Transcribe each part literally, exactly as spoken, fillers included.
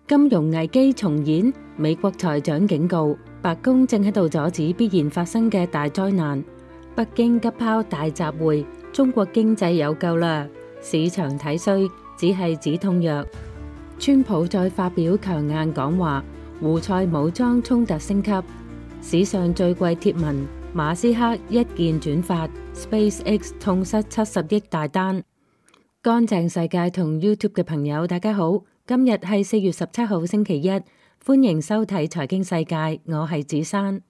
金融危機重演，美國財長警告，白宮正喺度阻止必然發生嘅大災難。北京急拋大集會，中國經濟有救啦，市場睇衰，只係止痛藥。川普再發表強硬講話，胡塞武裝衝突升級，史上最貴貼文，馬斯克一鍵轉發 ，SpaceX 痛失七十億大單。乾淨世界同 YouTube 嘅朋友，大家好，今日係四月十七號星期一，歡迎收睇財經世界，我係子珊。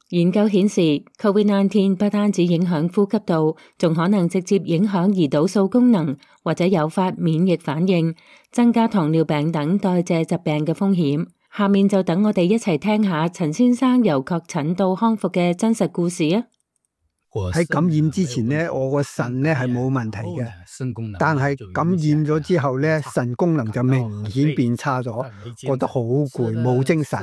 研究顯示 ，Covid 十九 不單止影響呼吸道，仲可能直接影響胰島素功能，或者誘發免疫反應，增加糖尿病等代謝疾病嘅風險。下面就等我哋一齊聽下陳先生由確診到康復嘅真實故事啊！喺感染之前咧，我個腎咧係冇問題嘅，但係感染咗之後咧，腎功能就明顯變差咗，覺得好攰，冇精神。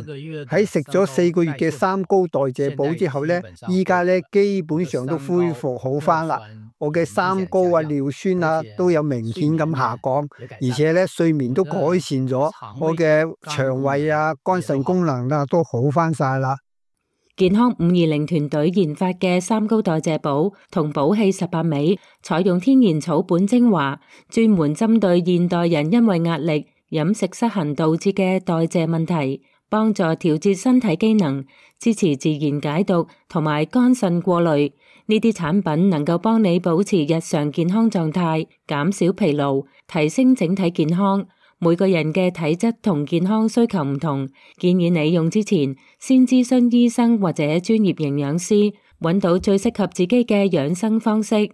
喺食咗四個月嘅三高代謝補之後咧，依家咧基本上都恢復好翻啦。我嘅三高啊、尿酸啊都有明顯咁下降，而且咧睡眠都改善咗，我嘅腸胃啊、肝腎功能啊都好翻晒啦。健康五二零團隊研發嘅三高代謝補同補氣十八味，採用天然草本精華，專門針對現代人因為壓力、飲食失衡導致嘅代謝問題，幫助調節身體機能，支持自然解毒同埋肝腎過濾。呢啲產品能夠幫你保持日常健康狀態，減少疲勞，提升整體健康。每個人嘅體質同健康需求唔同，建議你用之前先諮詢醫生或者專業營養師，揾到最適合自己嘅養生方式。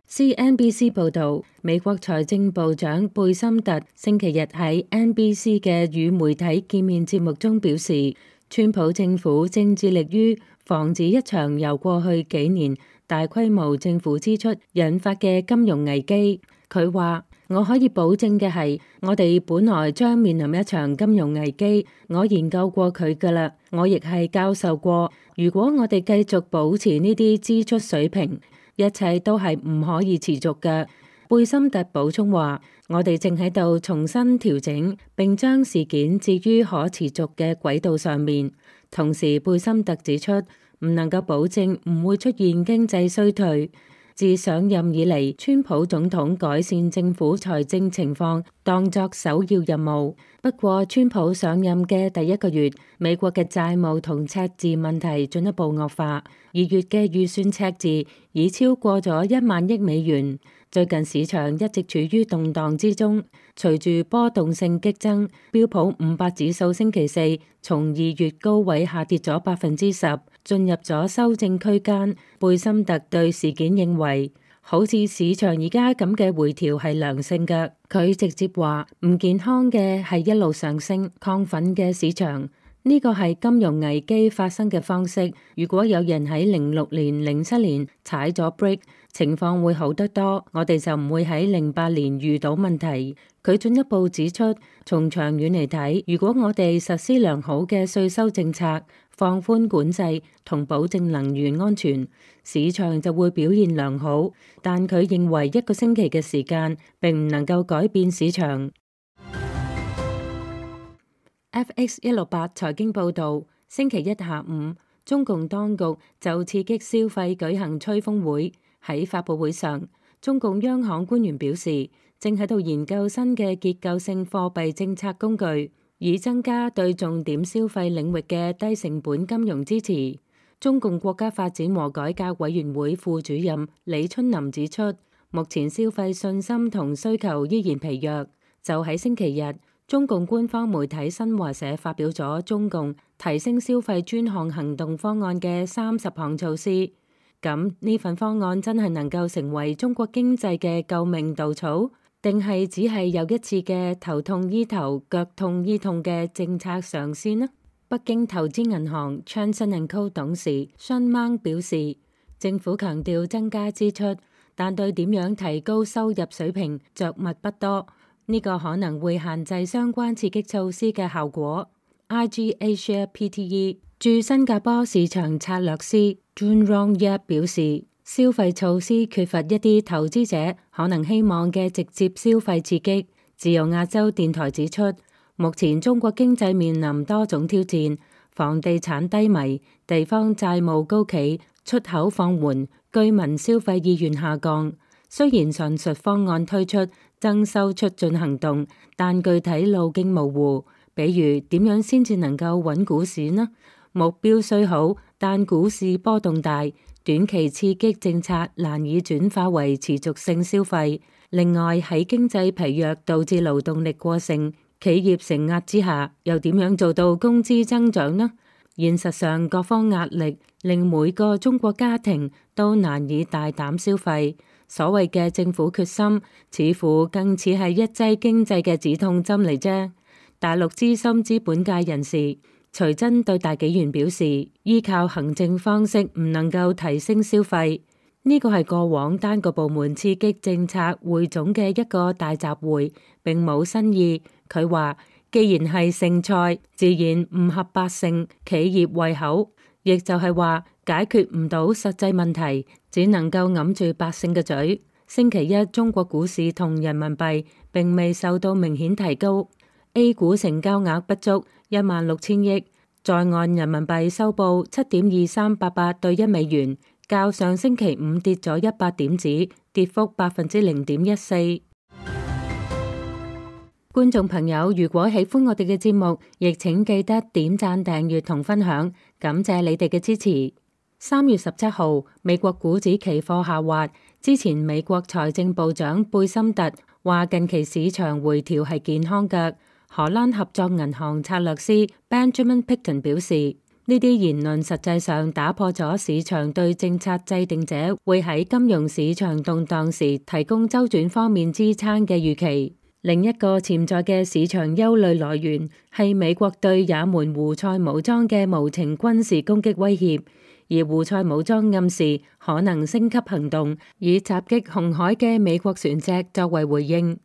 C N B C 報道，美國財政部長貝森特星期日喺 N B C 嘅與媒體見面節目中表示，川普政府正致力於防止一場由過去幾年大規模政府支出引發嘅金融危機。佢話：我可以保證嘅係，我哋本來將面臨一場金融危機。我研究過佢㗎喇，我亦係教授過。如果我哋繼續保持呢啲支出水平，一切都係唔可以持續嘅。貝森特補充話：我哋正喺度重新調整，並將事件置於可持續嘅軌道上面。同時，貝森特指出，唔能夠保證唔會出現經濟衰退。自上任以嚟，川普總統改善政府財政情況當作首要任務。不過，川普上任嘅第一個月，美國嘅債務同赤字問題進一步惡化，二月嘅預算赤字已超過咗一萬億美元。最近市場一直處於動盪之中，隨住波動性激增，標普五百指數星期四從二月高位下跌咗百分之十，進入咗修正區間。貝森特對事件認為，好似市場而家咁嘅回調係良性嘅。佢直接話唔健康嘅係一路上升亢奮嘅市場，呢個係金融危機發生嘅方式。如果有人喺零六年、零七年踩咗 break，情況會好得多，我哋就唔會喺零八年遇到問題。佢進一步指出，從長遠嚟睇，如果我哋實施良好嘅稅收政策，放寬管制同保證能源安全，市場就會表現良好。但佢認為一個星期嘅時間並唔能夠改變市場。F X 一六八財經報導，星期一下午，中共當局就刺激消費舉行吹風會。喺發佈會上，中共央行官員表示，正喺度研究新嘅結構性貨幣政策工具，以增加對重點消費領域嘅低成本金融支持。中共國家發展和改革委員會副主任李春林指出，目前消費信心同需求依然疲弱。就喺星期日，中共官方媒體新華社發表咗中共提升消費專項行動方案嘅三十項措施。咁呢份方案真係能夠成為中國經濟嘅救命稻草，定係只係又一次嘅頭痛醫頭、腳痛醫痛嘅政策嘗試呢？北京投資銀行 Johnson and Co 董事 Sun Mang 表示，政府強調增加支出，但對點樣提高收入水平着墨不多，呢、這個可能會限制相關刺激措施嘅效果。I G Asia P T E 駐新加坡市場策略師 Jun Rong Yap 表示，消費措施缺乏一啲投資者可能希望嘅直接消費刺激。自由亞洲電台指出，目前中國經濟面臨多種挑戰，房地產低迷、地方債務高企、出口放緩、居民消費意願下降。雖然上述方案推出增收促進行動，但具體路徑模糊。比如點樣先至能夠穩股市呢？目標雖好，但股市波動大，短期刺激政策難以轉化為持續性消費。另外喺經濟疲弱導致勞動力過剩、企業承壓之下，又點樣做到工資增長呢？現實上各方壓力令每個中國家庭都難以大膽消費。所謂嘅政府決心，似乎更似係一劑經濟嘅止痛針嚟啫。大陸資深資本界人士徐真對大紀元表示，依靠行政方式唔能夠提升消費，呢個係過往單個部門刺激政策匯總嘅一個大集會，並冇新意。佢話，既然係剩菜，自然唔合百姓企業胃口，亦就係話解決唔到實際問題，只能夠揞住百姓嘅嘴。星期一中國股市同人民幣並未受到明顯提高。A 股成交額不足一萬六千億，在岸人民幣收報七點二三八八對一美元，較上星期五跌咗一百點子，跌幅百分之零點一四。觀眾朋友，如果喜歡我哋嘅節目，亦請記得點讚、訂閱同分享，感謝你哋嘅支持。三月十七號，美國股指期貨下滑，之前美國財政部長貝森特話近期市場回調係健康嘅。荷蘭合作銀行策略師 Benjamin Picton 表示，呢啲言論實際上打破咗市場對政策制定者會喺金融市場動盪時提供周轉方面支撐嘅預期。另一個潛在嘅市場憂慮來源係美國對也門胡塞武裝嘅無情軍事攻擊威脅，而胡塞武裝暗示可能升級行動，以襲擊紅海嘅美國船隻作為回應。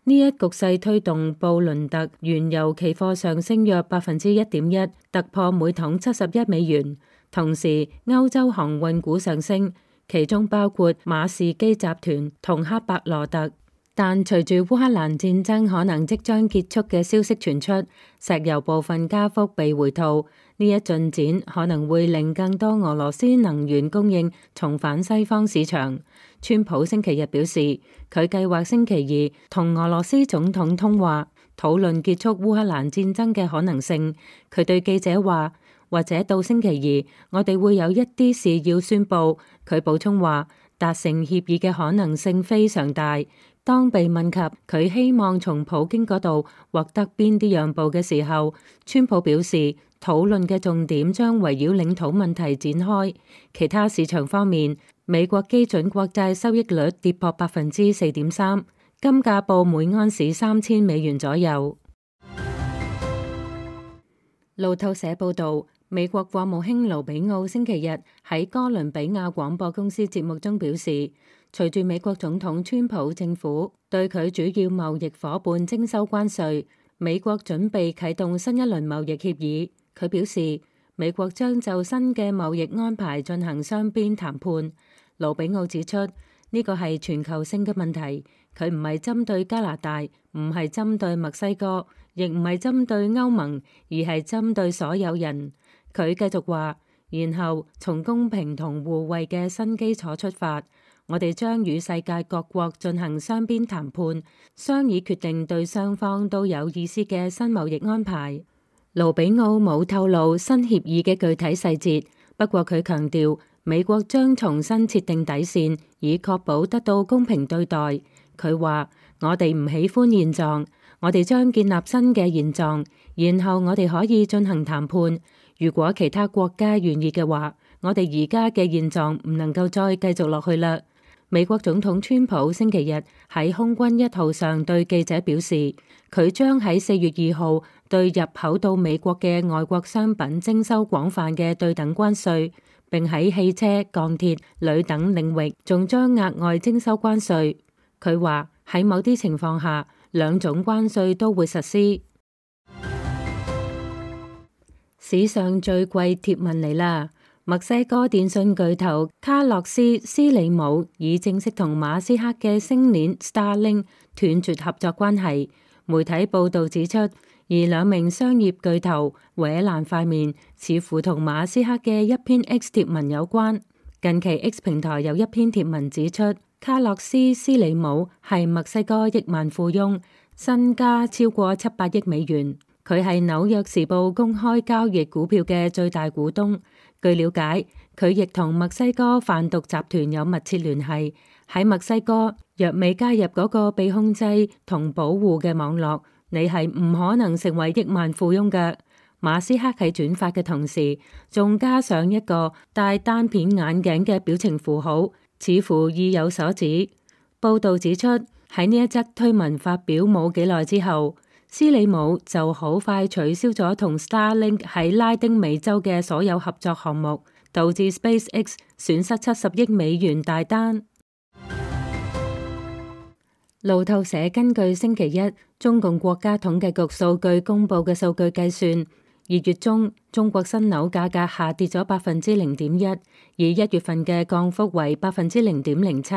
呢一局勢推動布倫特原油期貨上升約百分之一點一，突破每桶七十一美元。同時，歐洲航運股上升，其中包括馬士基集團同赫伯羅特。但隨住烏克蘭戰爭可能即將結束嘅消息傳出，石油部分加幅被回吐，呢一進展可能會令更多俄羅斯能源供應重返西方市場。川普星期日表示，佢計劃星期二同俄羅斯總統通話，討論結束烏克蘭戰爭嘅可能性。佢對記者話，或者到星期二，我哋會有一啲事要宣佈。佢補充話，達成協議嘅可能性非常大。當被問及佢希望從普京嗰度獲得邊啲讓步嘅時候，川普表示討論嘅重點將圍繞領土問題展開。其他市場方面，美國基準國債收益率跌破百分之四點三，金價報每盎司三千美元左右。路透社報導，美國國務卿盧比奧星期日喺哥倫比亞廣播公司節目中表示，隨住美國總統川普政府對佢主要貿易夥伴徵收關稅，美國準備啟動新一輪貿易協議。佢表示，美國將就新嘅貿易安排進行雙邊談判。盧比奧指出，呢個係全球性嘅問題，佢唔係針對加拿大，唔係針對墨西哥，亦唔係針對歐盟，而係針對所有人。佢繼續話，然後從公平同互惠嘅新基礎出發，我哋將與世界各國進行雙邊談判，商議決定對雙方都有意思嘅新貿易安排。盧比奧冇透露新協議嘅具體細節，不過佢強調美國將重新設定底線，以確保得到公平對待。佢話，我哋唔喜歡現狀，我哋將建立新嘅現狀，然後我哋可以進行談判。如果其他國家願意嘅話，我哋而家嘅現狀唔能夠再繼續落去啦。美國總統川普星期日喺空軍一號上對記者表示，佢將喺四月二號對入口到美國嘅外國商品徵收廣泛嘅對等關稅，並喺汽車、鋼鐵、鋁等領域仲將額外徵收關稅。佢話喺某啲情況下，兩種關稅都會實施。史上最貴貼文嚟啦！墨西哥電訊巨頭卡洛斯斯里姆已正式同馬斯克嘅星鏈 Starlink 斷絕合作關係。媒體報道指出，而兩名商業巨頭搲爛塊面，似乎同馬斯克嘅一篇 X 貼文有關。近期 X 平台有一篇貼文指出，卡洛斯斯里姆係墨西哥億萬富翁，身家超過七百億美元。佢係紐約時報公開交易股票嘅最大股東。據了解，佢亦同墨西哥販毒集團有密切聯繫。喺墨西哥，若未加入嗰個被控制同保護嘅網絡，你係唔可能成為億萬富翁嘅。馬斯克喺轉發嘅同時，仲加上一個戴單片眼鏡嘅表情符號，似乎意有所指。報道指出，喺呢一則推文發表冇幾耐之後，斯里姆就好快取消咗同 Starlink 喺拉丁美洲嘅所有合作項目，導致 SpaceX 損失七十億美元大單。路透社根據星期一中共國家統計局數據公布嘅數據計算，二月中中國新樓價格下跌咗百分之零點一，以一月份嘅降幅為百分之零點零七。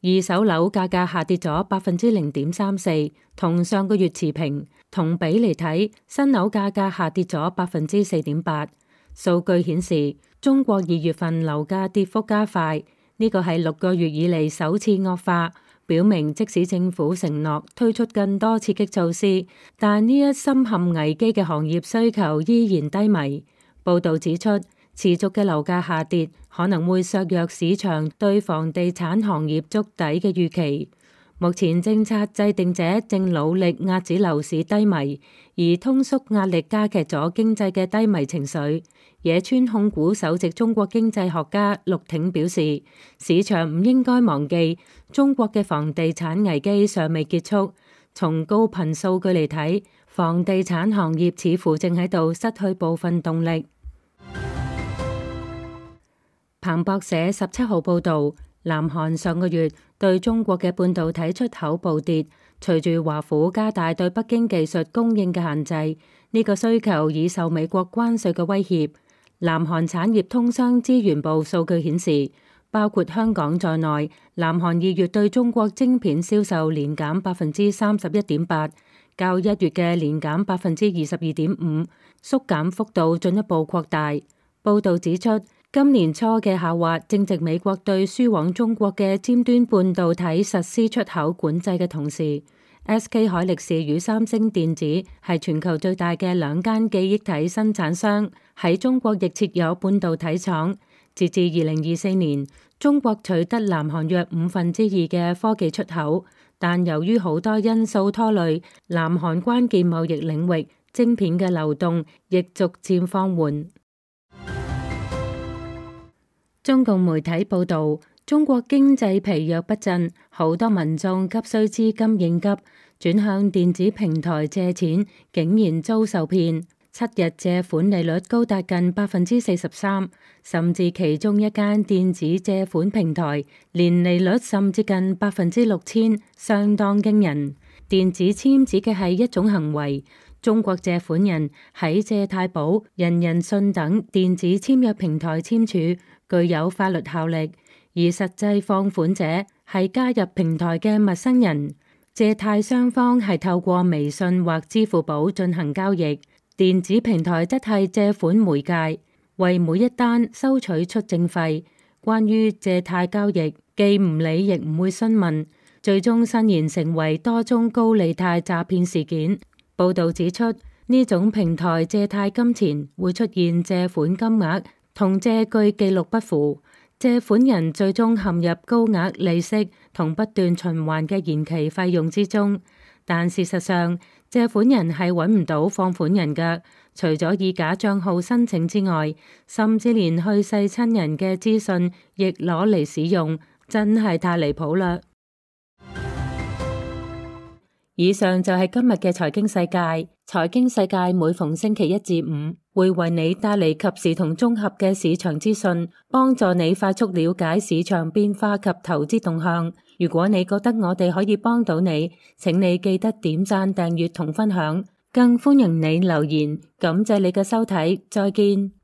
二手樓價格下跌咗百分之零點三四，同上個月持平。同比嚟睇，新樓價格下跌咗百分之四點八。數據顯示，中國二月份樓價跌幅加快，呢個係六個月以嚟首次惡化，表明即使政府承諾推出更多刺激措施，但呢一深陷危機嘅行業需求依然低迷。報導指出，持續嘅樓價下跌可能會削弱市場對房地產行業築底嘅預期。目前政策制定者正努力壓止樓市低迷，而通縮壓力加劇咗經濟嘅低迷情緒。野村控股首席中國經濟學家陸挺表示，市場唔應該忘記中國嘅房地產危機尚未結束。從高頻數據嚟睇，房地產行業似乎正喺度失去部分動力。彭博社十七號報導，南韓上個月對中國嘅半導體出口暴跌，隨住華府加大對北京技術供應嘅限制，呢個需求已受美國關稅嘅威脅。南韓產業通商資源部數據顯示，包括香港在內，南韓二月對中國晶片銷售年減百分之三十一點八，較一月嘅年減百分之二十二點五，縮減幅度進一步擴大。報導指出，今年初嘅下滑正值美國對輸往中國嘅尖端半導體實施出口管制嘅同時。S K 海力士與三星電子係全球最大嘅兩間記憶體生產商，喺中國亦設有半導體廠。截至二零二四年，中國取得南韓約五分之二嘅科技出口，但由於好多因素拖累，南韓關鍵貿易領域晶片嘅流動亦逐漸放緩。中共媒體報導，中國經濟疲弱不振，好多民眾急需資金應急，轉向電子平台借錢，竟然遭受騙。七日借款利率高達近百分之四十三，甚至其中一間電子借款平台年利率甚至近百分之六千，相當驚人。電子簽指嘅係一種行為，中國借款人喺借貸寶、人人信等電子簽約平台簽署，具有法律效力，而實際放款者係加入平台嘅陌生人。借貸雙方係透過微信或支付寶進行交易，電子平台則係借款媒介，為每一單收取出證費。關於借貸交易，既唔理亦唔會詢問，最終伸延成為多宗高利貸詐騙事件。報導指出，呢種平台借貸金錢會出現借款金額同借據記錄不符，借款人最終陷入高額利息同不斷循環嘅延期費用之中。但事實上，借款人係揾唔到放款人㗎，除咗以假帳號申請之外，甚至連去世親人嘅資訊亦攞嚟使用，真係太離譜啦！以上就係今日嘅財經世界。財經世界每逢星期一至五會為你帶嚟及時同綜合嘅市場資訊，幫助你快速了解市場變化及投資動向。如果你覺得我哋可以幫到你，請你記得點讚、訂閱同分享，更歡迎你留言。感謝你嘅收睇，再見。